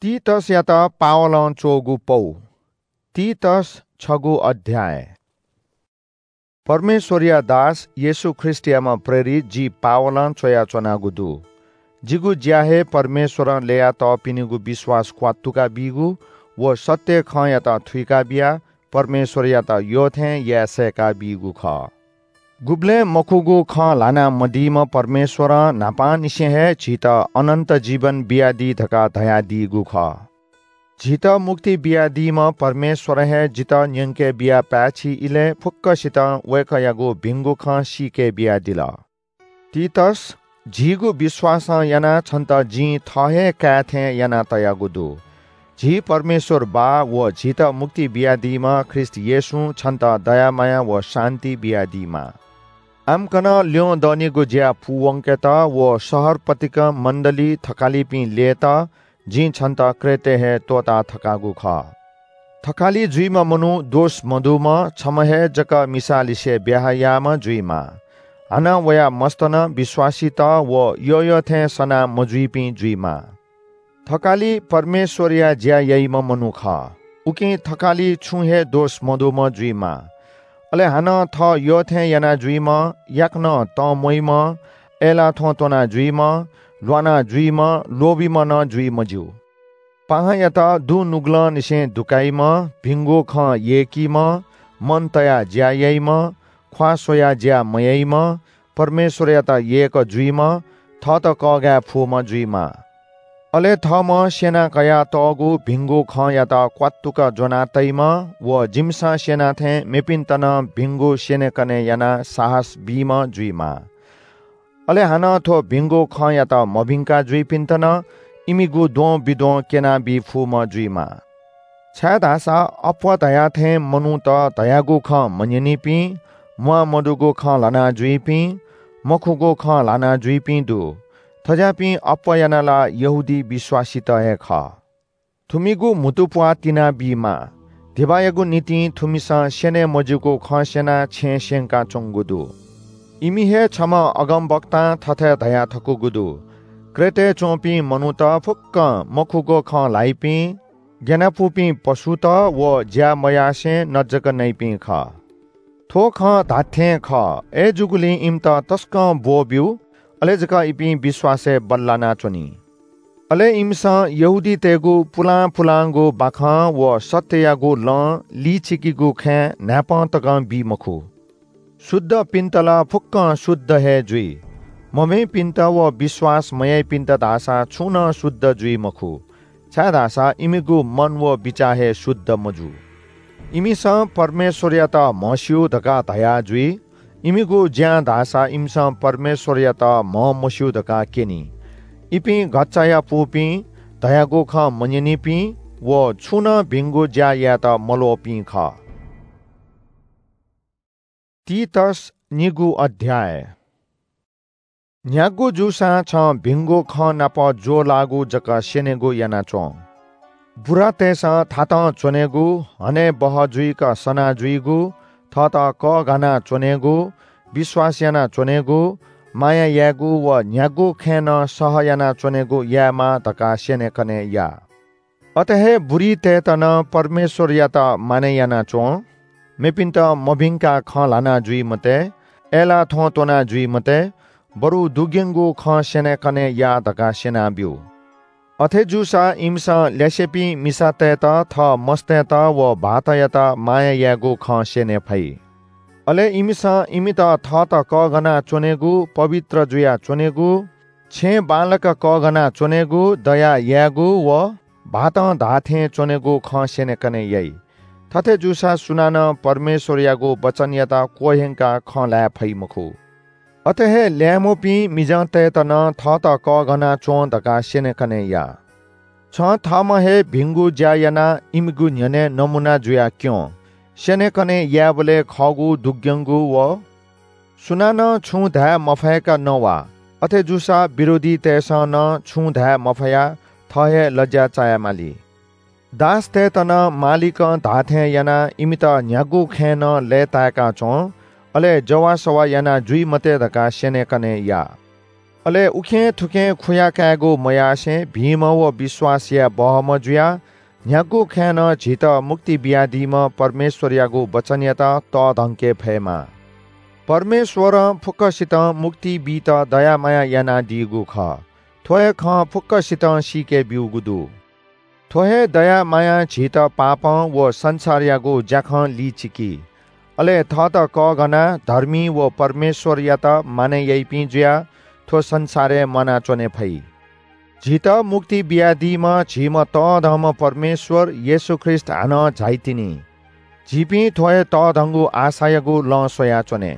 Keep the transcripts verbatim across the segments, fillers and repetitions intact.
तीतसयात पावलं च्वःगु पौ। तीतस छगू अध्याय। परमेश्वरया दास येशू ख्रीष्टयाम्ह प्रेरित जि पावलं च्वयाच्वनागु दु। जिगु ज्या हे परमेश्वरं ल्ययातःपिनिगु विश्वास क्वात्तुका बीगु व सत्य खँयात थुइका बियाः परमेश्वरयात यःथें याये सय्‌का बीगु खः। गुबलें मखुगु खँ ल्हाना मदीम्ह परमेश्वरं न्हापांनिसें हे झीत अनन्त जीवन बियादी धकाः धयादीगु खः। झीत मुक्ति बियादीम्ह परमेश्वरं हे जितः न्यंके बियाः पाय्‌छि इलय् फुक्कसितं वय्‌कःयागु भिंगु खँ सीके बियादिल। तीतस, झीगु विश्वासं यानाः छन्त जिं थः हे काय् थें याना तयागु दु। झी परमेश्वर बाः व झीत मुक्ति बियादीम्ह ख्रीष्ट येशूं छन्त दया माया व शान्ति बियादीमा। आम्कन ल्यं दनिगु ज्या पूवंकेत व शहर पतिकं मण्डली थकालिपिं ल्ययेत जिं छन्त क्रेटय् हे त्वःता थकागु खः। थकालि जुइम्ह मनू दोष मदुम्ह, छम्ह हे जक मिसालिसे ब्याहा याःम्ह जुइमा। हानं वया मस्त नं विश्वासीत व यःयःथें सना मजुइपिं जुइमा। थकालि परमेश्वरया ज्या याइम्ह मनू खः। उकिं थकालि छुं हे दोष मदुम्ह जुइमा। अले हानं थः यःथें याना जुइम्ह, याकनं तंम्वइम्ह, अय्‌लाः थ्वँ त्वना जुइम्ह, ल्वाना जुइम्ह, लोभीम्ह नं जुइ मज्यू। पाहांयात दुनुगलंनिसें दुकाइम्ह, भिंगु खँ यय्‌कीम्ह, मन तयाः ज्या याइम्ह, ख्वाः स्वयाः ज्या मयाइम्ह, परमेश्वरयात यय्‌क जुइम्ह, थःत कःघाये फुम्ह जुइमा। अले थःम्हं स्यना कयातःगु भिंगु खँयात क्वात्तुक ज्वना तइम्ह व जिमिसं स्यना थें मेपिन्त नं भिंगु स्यनेकने यानाः साहस बीम्ह जुइमा। अले हानं थ्व भिंगु खँयात मभिंका जुइपिन्त नं इमिगु द्वंबिद्वं क्यनाबी फुम्ह जुइमा। छाय्‌धाःसा अप्वः धया थें मनूत धयागु खँ मन्यनीपिं, म्वाः मदुगु खँ ल्हाना जुइपिं, मखुगु खँ ल्हाना जुइपिं दु। थज्याःपिं अप्वः यानाः ला यहूदी विश्वासीत हे खः। थुमिगु म्हुतुप्वाः तिनाबीमा। धिबायागु निंतिं थुमिसं स्यने मज्यूगु खँ स्यनाः छेँ स्यंकाच्वंगु दु। इमि हे छम्ह अगमवक्तां थथे धया थकूगु दु, क्रेटय् च्वंपिं मनूत फुक्कं मखुगु खँ ल्हाइपिं, ग्यानापुपिं पशुत व ज्या मयासें नजक नइपिं खः। थ्व खँ धात्थें खः, अय्‌जूगुलिं इमित तसकं ब्वःब्यु, अले जक इपिं विश्वासय् बल्लानाच्वनी। अले इमिसं यहूदीतय्‌गु पुलां पुलांगु बाखं व सत्ययागु लँ लिचिकीगु खँय् न्हाय्‌पं तकं बी मखु। शुद्धपिन्त ला फुक्कं शुद्ध हे जुइ। मभिंपिन्त व विश्वास मयाइपिन्त धाःसा छुं नं शुद्ध जुइ मखु, छाय्‌धाःसा इमिगु मन व बिचाः हे शुद्ध मजू। इमिसं परमेश्वरयात म्हस्यू धकाः धया जुइ। इमिगु ज्यां धाःसा इमिसं परमेश्वरयात म्हमस्यू धकाः क्यनी। इपिं घच्चायापुपिं, धयागु खँ मन्यनीपिं व छुं नं भिंगु ज्या यायेत मल्वःपिं खः। तीतस निगू अध्याय। न्ह्यागु जूसां छं भिंगु खँ नाप ज्वःलाःगु जक स्यनेगु यानाच्वँ। बुरातय्‌सं थातं च्वनेगु, हने बहः जुइक सना जुइगु, थःत कःघाना च्वनेगु, विश्वास याना च्वनेगु, माया यायेगु व न्ह्यागु खँय् नं सह याना च्वनेगु यायेमाः धकाः स्यनेकने या। अथे हे बुरीतय्‌त नं परमेश्वरयात मानय् याना च्वँ। मेपिन्त मभिंकाः खँ ल्हाना जुइ मते, अय्‌लाः थ्वँ त्वना जुइ मते, बरु दुग्यंगु खँ स्यनेकने या धकाः स्यनाब्यु। अथे जूसा इमिसं ल्यासेपिं मिसातय्‌त, थः मस्तय्‌त व भाःतयात माया यायेगु खँ स्यने फइ। अले इमिसं इमित थःत कःघाना च्वनेगु, पवित्र जुया च्वनेगु, छेँ बांलाक कःघाना च्वनेगु, दया यायेगु व भाःतं धाःथें च्वनेगु खँ स्यनेकने याइ। थथे जूसा सुनानं परमेश्वरयागु वचनयात क्वह्यंकाः खँ ल्हाये फइ मखु। अथे हे ल्याय्‌म्वपिं मिजंतय्‌त नं थःत कःघाना च्वँ धकाः स्यनेकने या। छं थःम्हं हे भिंगु ज्या यानाः इमिगु न्ह्यःने नमूना जुयाः क्यँ। स्यनेकने यायेबलय् खःगु दुग्यंगु व सुनानं छुं धाये मफय्‌क नवा। अथे जूसा विरोधीतय्‌सं नं छुं धाये मफयाः थः हे लज्या चायेमाली। दासतय्‌त नं मालिकं धाःथें यानाः इमित न्ह्यागु खँय् नं लय्‌ताय्‌का च्वँ, अले जवाःसवाः याना जुइ मते धकाः स्यनेकने या। अले उखें थुखें खुया कायेगु मयासें भिंम्ह व विश्वास याये बहःम्ह जुयाः न्ह्यागु खँय् नं झीत मुक्ति बियादीम्ह परमेश्वरयागु वचनयात तःधंके फयेमा। परमेश्वरं फुक्कसितं मुक्ति बीत दया माया यानादीगु खः। थ्व हे खँ फुक्कसितं सीके ब्यूगु दु। थ्व हे दया मायां झीत पापं व संसारयागु ज्याखं लिचिकी। अले थःत कःघानाः धर्मी व परमेश्वरयात मानय् याइपिं जुयाः थ्व संसारय् म्वानाच्वने फइ। झीत मुक्ति बियादीम्ह झीम्ह तःधंम्ह परमेश्वर येशू ख्रीष्ट हानं झाइतिनि। झीपिं थ्व हे तःधंगु आशायागु लँ स्वयाच्वने।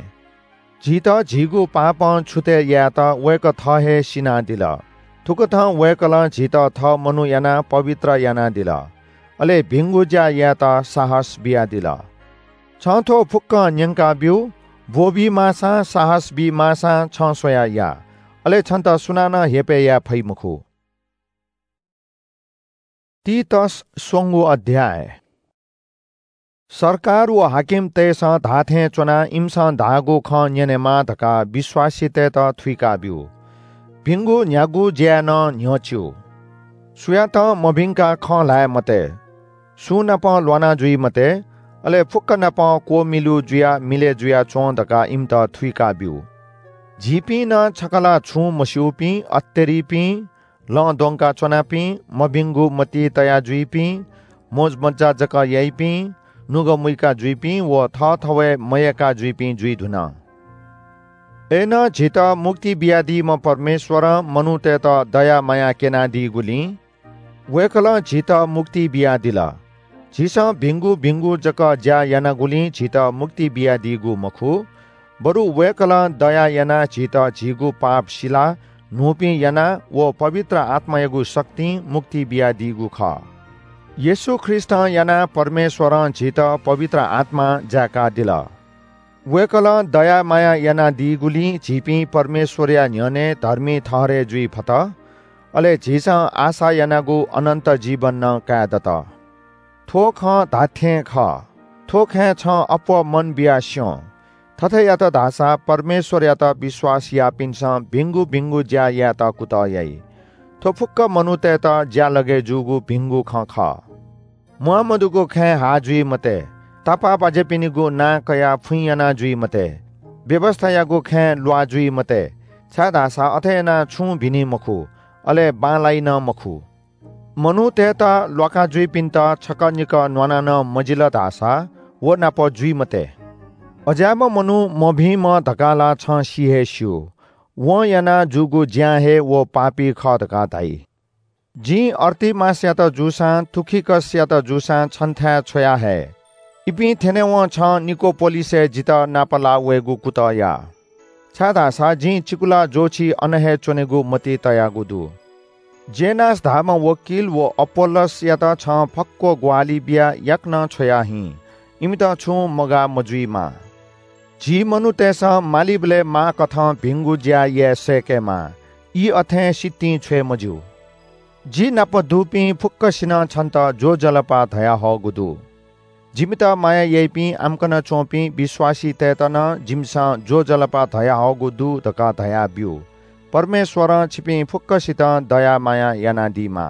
झीत झीगु पापं छुतय् यायेत वय्कः थः हे सिनादिल। थुकथं वय्कलं झीत थः मनू यानाः पवित्र यानादिल। अले भिंगु ज्या यायेत साहस बियादिल। छं थ्व फुक्कं न्यंका ब्यु। ब्वःबी माःसां, साहस बी माःसां छं स्वयाः या। अले छन्त सुनानं हेपय् याये फइ मखु। तीतस स्वंगू अध्याय। सरकार व हाकिमतय्सं धाःथें च्वनाः इमिसं धाःगु खँ न्यनेमाः धकाः विश्वासीतय्त थुइका ब्यु। भिंगु न्ह्यागु ज्याय् नं न्ह्यच्यु। सुयातं मभिंकाः खँ ल्हाये मते। सुं नाप ल्वाना जुइ मते, अले फुक्क नाप क्वमिलु जुयाः मिलय् जुयाच्वँ धकाः इमित थुइका ब्यु। झीपिं नं छकः ला छुं मस्यूपिं, अत्तेरिपिं, लँ द्वंका च्वनापिं, मभिंगु मति तया जुइपिं, मोजमज्जा जक याइपिं, नुगः मुइका जुइपिं व थःथवय् मयय्का जुइपिं जुइ धुन। अय्नं झीत मुक्ति बियादीम्ह परमेश्वरं मनूतय्त दया माया क्यनादीगुलिं वय्कलं झीत मुक्ति बियादिल। झीसं भिंगु भिंगु जक ज्या यानागुलिं झीत मुक्ति बियादीगु मखु, बरु वय्कलं दया यानाः झीत झीगु पाप सिलाः न्हूपिं यानाः व पवित्र आत्मायागु शक्तिं मुक्ति बियादीगु खः। येशू ख्रीष्टं यानाः परमेश्वरं झीत पवित्र आत्मां जाय्कादिल। वय्कलं दया माया यानादीगुलिं झीपिं परमेश्वरया न्ह्यःने धर्मी ठहरय् जुइ फत। अले झीसं आशा यानागु अनन्त जीवन नं काये दत। थ्व खँ धात्थें खः। थ्व खँय् छं अप्वः मन बियाः स्यँ। थथे यात धाःसा परमेश्वरयात विश्वास याःपिन्सं भिंगु भिंगु ज्या यायेत कुतः याइ। थ्व फुक्क मनूतय्त ज्यालगय् जूगु भिंगु खँ खः। म्वाःमदुगु खँय् हाः जुइ मते। तापाःबाज्यापिनिगु नां कयाः फुइँ याना जुइ मते। व्‍यवस्‍थायागु खँय् ल्‍वाः जुइ मते, छाय्‌धाःसा अथे यानाः छुं भिनी मखु, अले बांलाइ नं मखु। मनूतय्‌त ल्‍वाका जुइपिन्‍त छकः निकः न्‍वाना नं मजिल धाःसा व नाप जुइ मते। अज्‍याःम्‍ह मनू मभिंम्‍ह धकाः ला छं सि हे स्‍यू। वं याना जूगु ज्‍यां हे व पापी खः धकाः धाइ। जिं अर्तिमासयात जूसां तुखिकसयात जूसां छन्‍थाय् छ्वया हये। इपिं थ्‍यनेवं छं निकोपोलिसय् जितः नापलाः वयेगु कुतः या, छाय्‌धाःसा जिं चिकुला ज्‍वःछि अन हे च्‍वनेगु मति तयागु दु। जेनास धाःम्‍ह वकिल व अपोल्‍लोसयात छं फक्‍व ग्‍वाहालि बियाः याकनं छ्वया हिँ। इमित छुं मगाः मजुइमा। झी मनूतय्‌सं मालीबलय् माःकथं भिंगु ज्‍या याये सय्‌केमाः। ई अथें सितिं छ्वये मज्‍यू। जि नाप दुपिं फुक्‍कसिनं छन्‍त ज्‍वजलपा धयाहःगु दु। जिमित माया याइपिं आम्‍कन च्‍वंपिं विश्‍वासीतय्‌त नं जिमिसं ज्‍वजलपा धयाहःगु दु धकाः धयाब्‍यु। परमेश्‍वरं छिपिं फुक्‍कसितं दया माया यानादीमा।